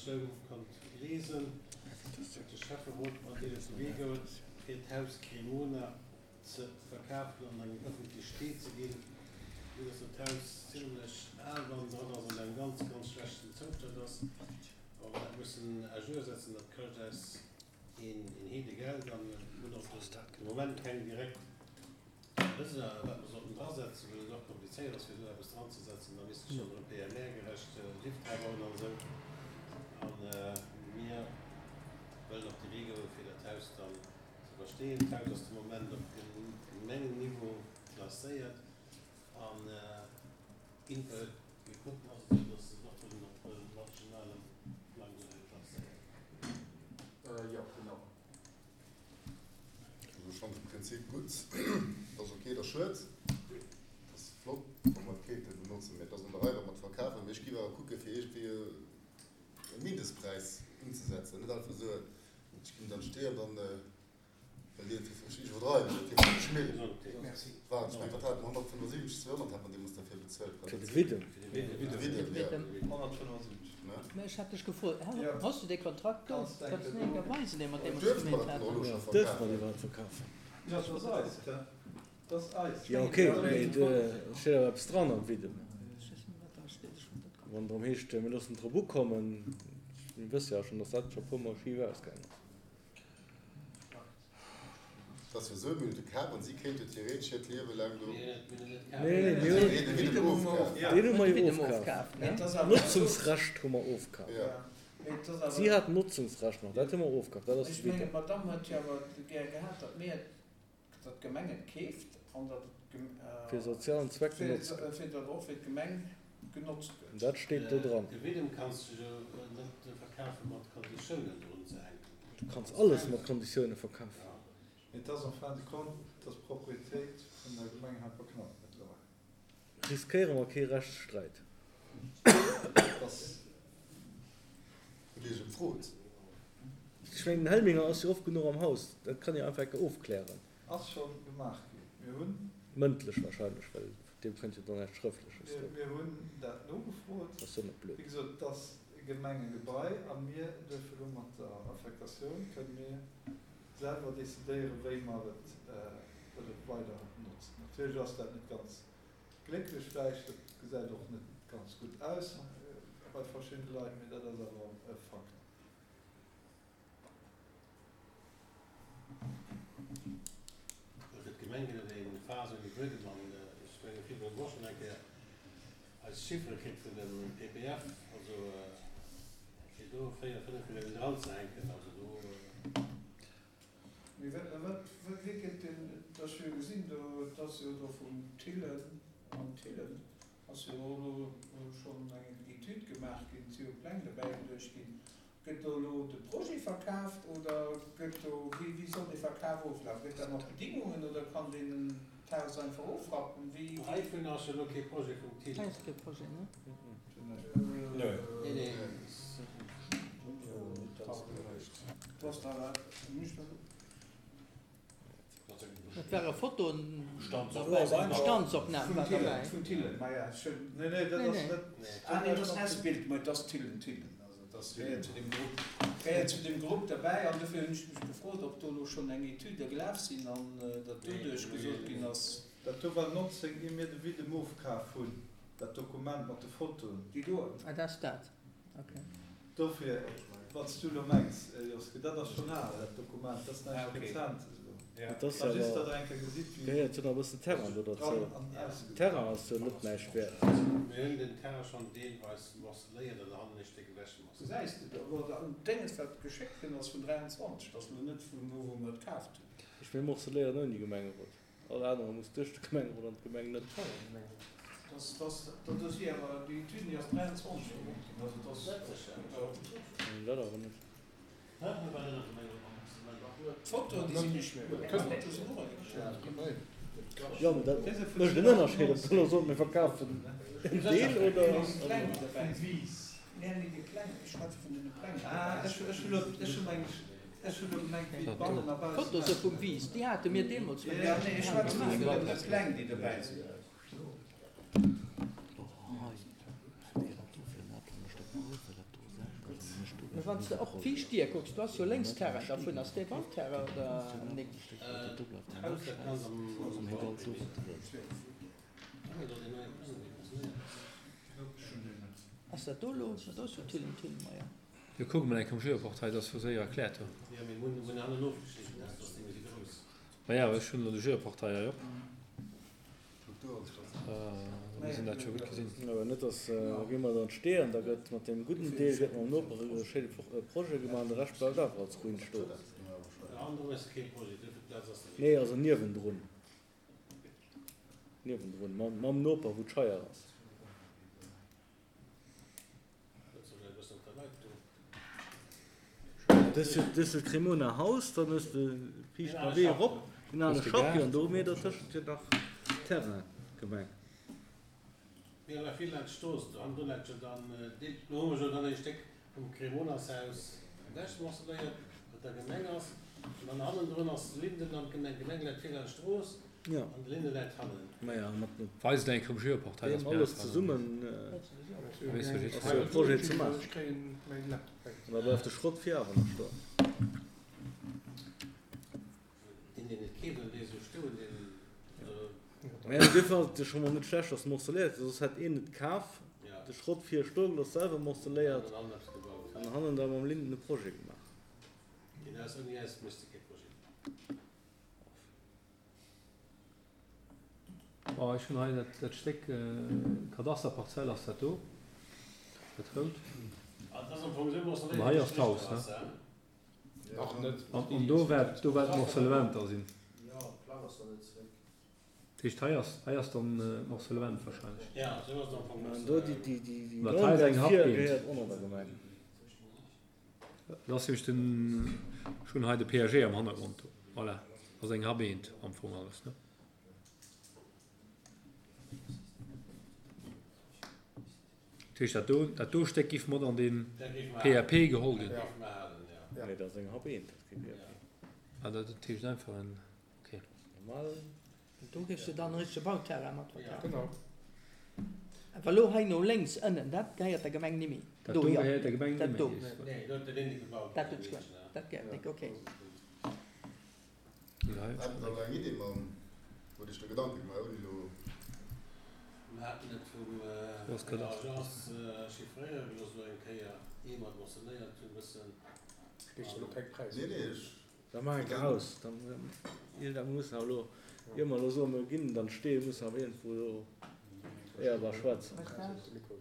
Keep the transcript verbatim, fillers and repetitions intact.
Motioun konnt liesen, huet de Schäfferot mat deene op de Wee goen, fir d'Haus Cremona ze verkafen an eng ëffentlech Stee ze ginn. Vue dass dat Haus zimlech al bannendran ass an engem ganz, ganz schlechten Zoustand ass, wa mer dat mussen à jour setzen, dat kascht eis een Heedegeld an mir hunn och de Moment keng direkt Wësser, wat mer sollten drasetzen, well et och komplizéiert ass, fir do eppes dranzesetzen. Da misste schonn erëm P M R-gerecht Lift drabauen an esou. A mir wëllen op de Wee goen, fir dat Haus dann ze versteeën. D'Haus ass de Moment op Gemengenniveau klasséiert an Inter mir kucken, ass et esou, dass se et och wëllen op nationalem Plang klasséieren. Jo, genau. Also ech fannen de Prinzip gutt, et ass ok, et ass schued, et ass flott wa mer et kéinte benotzen, mä et ass an der Rei wa mer et verkafen. Mee ech géif awer kucke fir iergendwéi e Mindestpräis unzesetzen, net einfach soen, ech ginn dann d'Stee an dann well Dir et fir, ech iwwerdreiwen, dat fir fënneg Mille war, ech mengen wat hate mer, honnertfënnefundsiwwenzeg, zweehonnert hat mer deemools derfir bezuelt, Fir de Widdem. Fir de Widdem, jo. Honnertfënnefundsiwwenzeg. Mä ech hat dech gefrot, Hues du dee Kontrakt do? Kanns du mir enker weisen, dee mer deemools Duerfe mer gemeet dat dann och elo haten? scho Duerfe mer verkafen? déi iwwerhaapt verkafen? Jo, dat ass eist, he? Dat ass eist. Jo, ok, mee et steet awer eppes dran am Widdem. Ech weess net, wat dra steet, ech hunn dat Wann et drëm heescht, mir loossen drop ukommen, mir wësse jo schonn, datt dat scho e puermol schif ausgaangen ass. Dat ass jo esou, mir hunn et kaf an si kéinte theoretesch hiert Liewe laang do. Nee, nee, mir hunn Nee, de Widdem ofkaf. deen hu mer De jo Widdem ofkaf. ofkaf, ne? D'Notzungsrecht hu mer ofkaf. Jo. Si hat d'Notzungsrecht nach, dat hu mer ofkaf, dat ass de Ech mengen, Widdem. d'Madame huet jo awer gär gehat, datt mir, datt d'Gemeng et keeft an datt et Fir sozialen Zweck fir, genotzt gëtt. fir datt och fir d'Gemeng genotzt An gëtt. dat steet do dran. De Widdem kanns de jo net verkafe mat Konditiounen drun ze hänken. Du kanns alles mat Konditioune verkafen. Et ass en fin de compte, et ass Propriétéit vun der Gemeng Helperknapp mëttlerweil. Riskéiere mer kee Rechtssträit? Et ass. Hutt Dir iech emfrot? Ech mengen, den Helminger ass jo oft genuch am Haus, dat kann jo einfach eng Kéier ofklären. Ass scho gemaach ginn. Mir hunn. Mëndlech wahrscheinlech, well vun deem kënnt jo dann näischt Schrëftleches do. Mir hunn dat nogefrot. Ass jo net blöd. Wéi gesot, et ass e Gemengegebai a mir duerfe elo mat der Affektatioun, kënne mir selwer decidéieren, wéi mer et wëlle weider notzen. Natierlech ass dat net ganz glécklech vläicht, dat gesäit och net ganz gutt aus bei verschiddene Leit, mee dat ass awer e Fakt. Fir d'Gemeng gëtt et eng Phas ouni Buedem an ech menge vill hunn och schonn eng Kéier eis Chiffere kritt vun dem P P F, also fir do véier, fënnef Milliounen dranzehänken, also do. Mee wat, wat, wéi gëtt den, et ass jo gesinn do, et ass jo do vum Thillen, am Thillen ass jo och elo schonn eng Etüd gemaach ginn, et si jo Pläng dobäi geduecht ginn. Gëtt do elo de Projet verkaaft oder gëtt do, wéi, wéi soll dee Verkaf oflafen? Gëtt dat mat Bedingungen oder kann deen d'Haus einfach ofrappen? Wéi, wéi? Heivun ass jo elo kee Projet vum Hei Thillen. ass kee Projet, ne? Nee, nee. Du hast da nicht. Dat ware Fotoen derbäi, Bestandsopnahm war derbäi. Vun Thillen, ma ja, schön. Nee, nee, dat Nee, ass nee. net. Ah nee, dat ass S-Bild, ma et ass Thillen, Thillen. Also dat gehéiert zu dem Grupp, gehéiert zu dem Grupp derbäi. An dofir hunn ech mech gefrot, ob do elo schonn eng Etüde gelaf sinn an datt doduerch gesot ginn ass. Dat do war nonzéng, ier mir de Widdem ofkaf hunn, dat Dokument mat de Fotoen. Déi do. Ah, dat ass dat, okay. Dofir, wat s du elo mengs, Joske, dat ass schonn al, dat Dokument, dat ass Ah, näischt okay. Rezentes elo. Ja. Et ass Mä just, awer, datt Der eng Kéier gesitt, wéi gehéiert jo nach e bëssen Terrain do dran derzou. an ausgesäit. Terrain ass jo net näischt wäert. Mir hunn den Terrain schonn deelweis morceléiert an der Hand e Stéck ewechmorceléiert. Gesäis de do, oder an Dénges, wat geschéckt ginn ass vun dräianzwanzeg, dat ass elo net vun elo, wou mer et kaaft hunn. Ech mir morceléieren ouni Gemengerot. All anere muss duerch de Gemengerot an d'Gemeng net. Das, das, dat ass jo awer, déi Etüden, déi ass dräianzwanzeg gemaach ginn, also dat ass. Dat awer net. Hä? Mir waren net am Gemengerot. D'Fotoen, déi sinn nicht méi. D'Fotoe sinn och eng. Jo, mee dat mécht en Ënnerscheed, ob se elo soen, mir verkafen en Deel oder. Pläng derbäi Vum Wies. Nee, nee, déi Pläng, ech schwätze vun den Pläng, déi Ah, derbäi ech sinn. ech hu lo, ech hu mengt, ech hu lo gemengt, wéi bannen a baussen D'Foto se vum Wies, déi hate mir deemools Ja, vun Ja, nee, ech schwätze vun gemaach. den Pläng, déi derbäi sinn. Mee wann s de op d'viischt Dier kucks, do ass jo lénks Terrain dervun. Ass dee Bauterrain oder nik? Ass dat do elo? Do ass jo Thillen, Thillenmeier. Jo, kucke mol eng Kéier um Geoportail, dat ass jo séier erkläert do. Maja, ech hunn elo de Geoportail hei op. Mir sinn dat scho gutt gesinn. Awer net, dass gi mer dann Stee an da gëtt mat deem gudden Deel gëtt mam Noper e schéine Projet gemaach an de Rescht bleift awer als Ruin stoen. Nee, also niewendrun. Niewendrun, mam Noper, wou d'Scheier ass. Dës huet de Cremona Haus, dann hues de viischt mam Wee erop, den ale Schappi an do hu mir dertëschent jo nach Terrain, Gemeng. Jo. Maja, mat Weist eng Kéier um Geoportail, deem ass méi alles einfach. zesummen Weess jo ass jiddwereen. jo e Projet ze maachen. An da bleift de Schrott vir awer nach stoen. Maja, duerfir ass et jo scho mol net schlecht, dass morceléiert gëtt, soss hätt een et kaf, de Schrott vir stoe gelooss, selwer morceléiert an hannen da mam Linden e Projet gemaach. Bon, ech hunn hei dat, dat Stéck, Kadasterparzell ass dat do, dat rout. An hei ass d'Haus, ne? An, an do wäert, do wäert d'Morcellement da sinn. Dat heescht, hei ass, hei ass dann d'Morcellement wahrscheinlech. An do déi, déi, déi, déi Dat hei ass eng Grondsäit vir Happbeent. gehéiert och nach der Gemeng. Dat ass nämlech den, ech hunn hei de P A G am Hannergrond do. Voilà, ass eng Happbeent am Fong alles, ne? Dat heescht, dat do, dat do Stéck giff mat an den P A P geholl ginn. Nee, dat ass eng Happbeent, dat ass kee P A P. Ah, dat, dat heescht einfach en, okay. Normal. Do giffs de dann e richtege Bauterrain mat verkafen. Genau. Awer elo hei no lénks ënnen, dat gehéiert der Gemeng nimmi. Dat Do, do jo. gehéiert der Gemeng Dat nimmi. do. Nee, do huet de Linde gebaut. Dat huet d'Gemeng. Dat gehéiert nik, okay. Haten der elo eng Idee mam, wou Dir iech do Gedanke gemaach hutt, ouni elo. Mir haten et vum vun der Agence chiffréiere gelooss elo eng Kéier, ier mer et mentionnéiert hunn, e bëssen. Kriss elo keng Präisser. Nee, nee, ech. Da maache eng Haus. Dann, da mussen awer elo, ier mer elo soen, mir ginn dann Stee, mussen awer iergendwou do éierbar schwätzen.